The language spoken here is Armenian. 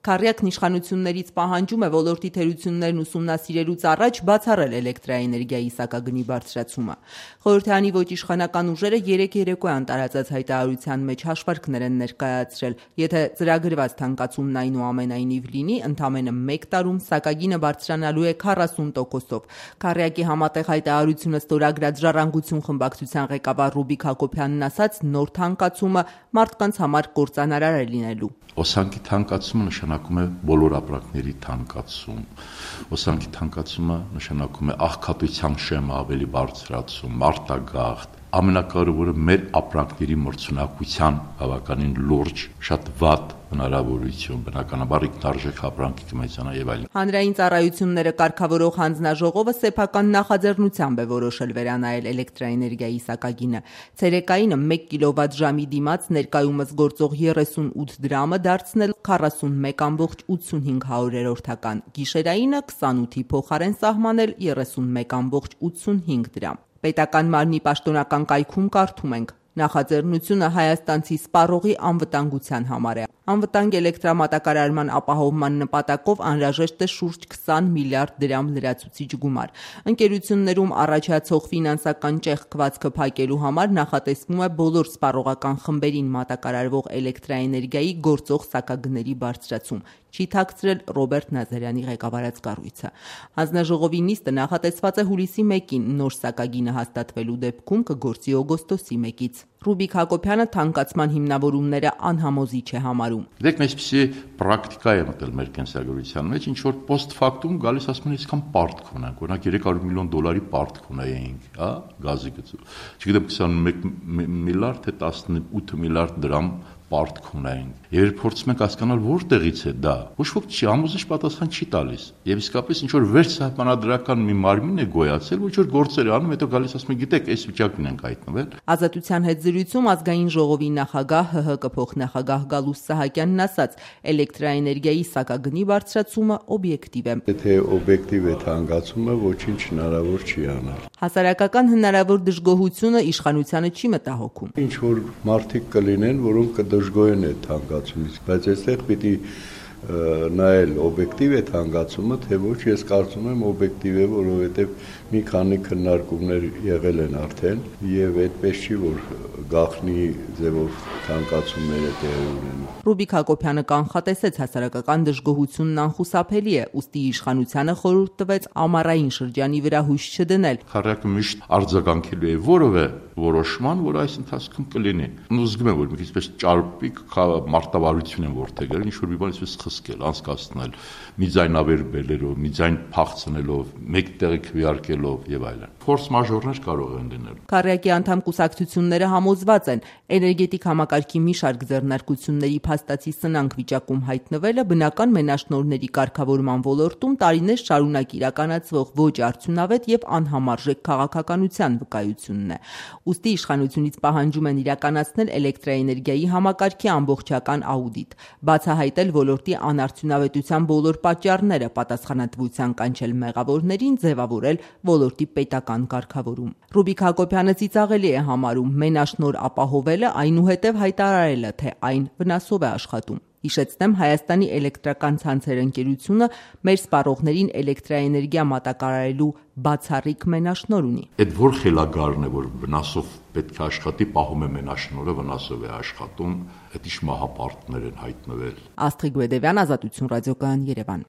Քառյակն իշխանություններից պահանջում է ոլորտի թերություններն ուսումնասիրելուց առաջ բացառել էլեկտրաէներգիայի սակագնի բարձրացումը։ Խորհրդարանի ոչ իշխանական ուժերը երեկ երեկոյան տարածած հայտարարության մեջ հաշվարկներ են ներկայացրել։ Եթե ծրագրված թանկացումն այնուամենայնիվ լինի, ընդամենը 1 տարում սակագինը բարձրանալու է 40%-ով։ Քառյակի համատեղ հայտարարությունը ստորագրած Ժառանգություն խմբակցության ղեկավար Ռուբիկ Հակոբյանն ասաց, նոր թանկացումը մարդկանց համար կործանարար է լինելու։ Հոսանքի թանկացումը նշանակում է բոլոր ապրանքների թանկացում։ Հոսանքի թանկացումը նշանակում է աղքատության շեմը ավելի բարձրացում, արտագաղթ։ Ամենակարևորը մեր ապրանքների մրցունակության բավականին լուրջ, շատ վատ հնարավորություն, բնականաբար ինքնարժեք ապրանքի կմեծանա եւ այլն։ Հանրային ծառայությունները կարգավորող հանձնաժողովը սեփական նախաձեռնությամբ է որոշել վերանայել էլեկտրաէներգիայի սակագինը։ Ցերեկայինը 1 կիլովատ-ժամի դիմաց ներկայումս գործող 38 դրամը դարձնել 41,85 գիշերայինը 28-ի փոխարեն սահմանել 31,85 դրամ։ Պետական մարմնի պաշտոնական կայքում կարդում ենք. նախաձեռնությունը հայաստանցի սպառողի անվտանգության համար է։ Անվտանգ էլեկտրամատակարարման ապահովման նպատակով անհրաժեշտ է շուրջ 20 միլիարդ դրամ լրացուցիչ գումար։ Ընկերություններում առաջացող ֆինանսական ճեղքվածքը փակելու համար նախատեսվում է բոլոր սպառողական խմբերին մատակարարվող էլեկտրաէներգիայի գործող սակագների բարձրացում, չի թաքցրել Ռոբերտ Նազարյանի ղեկավարած կառույցը։ Հանձնաժողովի նիստը նախատեսված է հուլիսի 1-ին, նոր սակագինը հաստատվելու դեպքում կգործի օգոստոսի 1-ից։ Ռուբիկ Հակոբյանը թանկացման հիմնավորումները անհամոզիչ է համարում։ Դեք այսպիսի պրակտիկա է մտել մեր կենսագրության մեջ, ինչ որ post factum գալիս ասում են իսկան պարտք ունենք, օրինակ 300 միլիոն դոլարի պարտք ունեինք, հա, գազի գծու։ Չգիտեմ 21 միլիարդ թե 18 միլիարդ դրամ պարտք ունենք։ Եվ փորձում ենք հասկանալ որտեղից է դա։ Ոչ ոք չի համոզիչ պատասխան չի տալիս։ Եվ իսկապես ինչ որ վերջսահմանադրական մի մարմին է գոյացել, ոչ որ գործեր է անում, հետո գալիս ասում է, գիտեք, այս վիճակին ենք հայտնվել։ Ազատության հետ զրույցում ազգային ժողովի նախագահ ՀՀԿ փոխնախագահ Գալուստ Սահակյանն ասաց, էլեկտրաէներգիայի սակագնի բարձրացումը օբյեկտիվ է։ Եթե օբյեկտիվ է թանկացումը, ոչինչ հնարավոր չի անել։ Հասարակական հնարավոր դժգոհությունը իշխանությանը չի մտահոգում։ Ինչ որ մարդիկ կլինեն, որոնք կդժգոհեն այդ թանկացումից, բայց այստեղ պիտի նայել օբյեկտիվ է թանկացումը, թե ոչ, ես կարծում եմ օբյեկտիվ է, որովհետև մի քանի քննարկումներ եղել են արդեն եւ այդպես չի, որ գաղտնի ձևով թանկացումները տեղի ունեն։ Ռուբիկ Հակոբյանը կանխատեսեց հասարակական դժգոհությունն անխուսափելի է, ուստի իշխանությանը խորհուրդ տվեց ամառային շրջանի վրա հույս չդնել։ Քառյակը միշտ արձագանքելու է որևէ որոշման, որ այս ընթացքում կլինի։ Ու զգում եմ, որ մի քիչ պես ճարպիկ մարտավարություն են որթեգրել, ինչ որ մի բան այսպես խսկել, անցկացնել, մի ձայնավեր բերելով, մի ձայն փախցնելով, մեկ տեղի քվեարկելով եւ այլն։ Ֆորս մաժորներ կարող են լինել։ Քառյակի անդամ կուսակցությունները համոզված են, էներգետիկ համակարգի մի շարք ձեռնարկությունների փաստացի սնանկ վիճակում հայտնվելը բնական մենաշնորհների կարգավորման ոլորտում տարիներ շարունակ իրականացվող ոչ արդյունավետ եւ անհամարժեք քաղաքականության վկայությունն է։ Ուստի իշխանությունից պահանջում են իրականացնել էլեկտրաէներգիայի համակարգի ամբողջական աուդիտ, բացահայտել ոլորտի անարդյունավետության բոլոր պատճառները, պատասխանատվության կանչել մեղավորներին, ձևավորել ոլորտի պետական կարգավորում։ Ռուբիկ Հակոբյանը ծիծաղելի է համարում մենաշնորհ ապահովելը, այնուհետև հայտարարելը, թե այն վնասով է աշխատում։ Հիշեցնեմ, Հայաստանի էլեկտրական ցանցեր ընկերությունը մեր սպառողներին էլեկտրաէներգիա մատակարարելու բացառիկ մենաշնորհ ունի։ Այդ որ խելագարն է, որ վնասով պետք է աշխատի, պահում է մենաշնորհը, վնասով է աշխատում, այդ իշ մահապարտներ են հայտնվել։ Աստղիկ Բեդևյան, Ազատություն ռադիոկայան, Երևան։